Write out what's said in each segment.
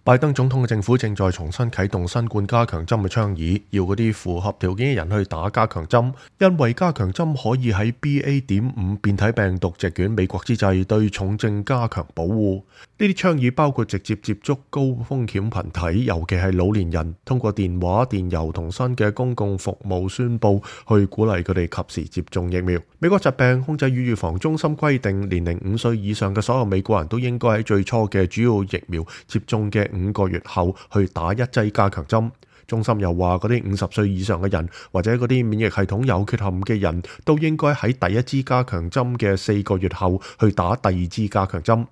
拜登總統嘅政府正在重新啟動新冠加強針嘅倡議，要嗰啲符合條件嘅人去打加強針，因為加強針可以喺 BA.5 變體病毒席捲美國之際對重症加強保護。呢啲倡議包括直接接觸高風險群體，尤其係老年人，通過電話、電郵同新嘅公共服務宣佈，去鼓勵佢哋及時接種疫苗。美國疾病控制與預防中心規定，年齡5歲以上嘅所有美國人都應該喺最初嘅主要疫苗接種嘅5個月後去打一劑加強針。中心又話，嗰啲50歲以上嘅人或者嗰啲免疫系統有缺陷嘅人都應該喺第一支加強針嘅4個月後去打第二支加強針。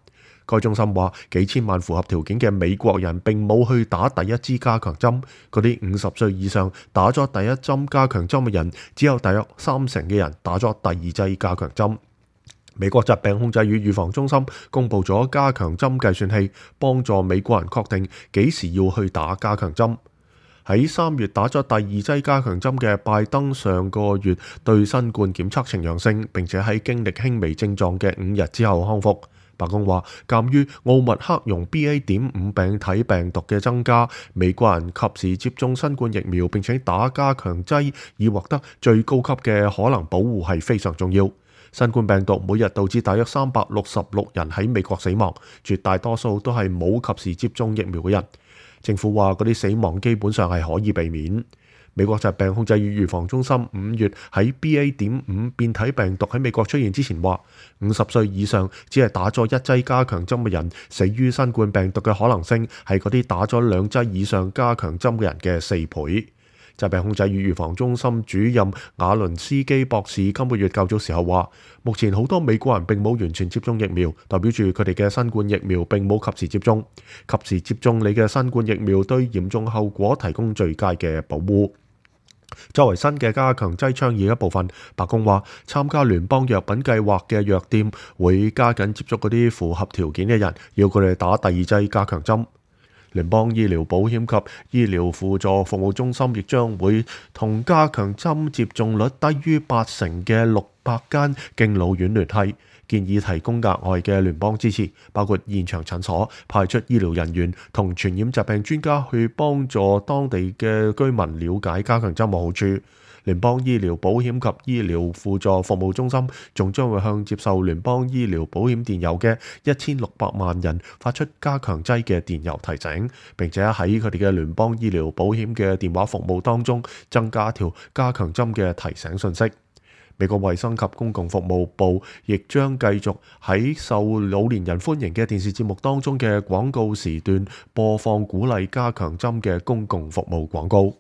該中心話，幾千萬符合條件嘅美國人並冇去打第一支加強針。嗰啲50歲以上打咗第一針加強針嘅人，只有大約30%嘅人打咗第二劑加強針。美國疾病控制與預防中心公布咗加強針計算器，幫助美國人確定幾時要去打加強針。喺3月打咗第二劑加強針嘅拜登，上個月對新冠檢測呈陽性，並且喺經歷輕微症狀嘅5日之後康復。白宮話，鑑於奧密克戎 BA.5 病體病毒嘅增加，美國人及時接種新冠疫苗並且打加強劑，以獲得最高級嘅可能保護係非常重要。新冠病毒每日導致大約366人喺美國死亡，絕大多數都係冇及時接種疫苗嘅人。政府話嗰啲死亡基本上係可以避免。美國疾病控制與預防中心5月喺 BA.5 變體病毒喺美國出現之前話，50歲以上只係打咗一劑加強針嘅人死於新冠病毒嘅可能性係嗰啲打咗2劑以上加強針嘅人嘅4倍。疾病控制與預防中心主任瓦倫斯基博士今個月較早時候話，目前好多美國人並冇完全接種疫苗，代表住佢哋嘅新冠疫苗並冇及時接種。及時接種你嘅新冠疫苗對嚴重後果提供最佳嘅保護。作為新嘅加強劑倡議一部分，白宮話參加聯邦藥品計劃嘅藥店會加緊接觸嗰啲符合條件嘅人，要佢哋打第二劑加強針。聯邦醫療保險及醫療輔助服務中心亦將會同加強針接種率低於80%嘅600間敬老院聯繫，建議提供額外嘅聯邦支持，包括現場診所、派出醫療人員同傳染疾病專家去幫助當地嘅居民了解加強針嘅好處。聯邦醫療保險及醫療輔助服務中心仲將會向接受聯邦醫療保險電郵嘅1600萬人發出加強劑嘅電郵提醒，並且喺佢哋嘅聯邦醫療保險嘅電話服務當中增加條加強針嘅提醒信息。美國衛生及公共服務部亦將繼續喺受老年人歡迎嘅電視節目當中嘅廣告時段播放鼓勵加強針嘅公共服務廣告。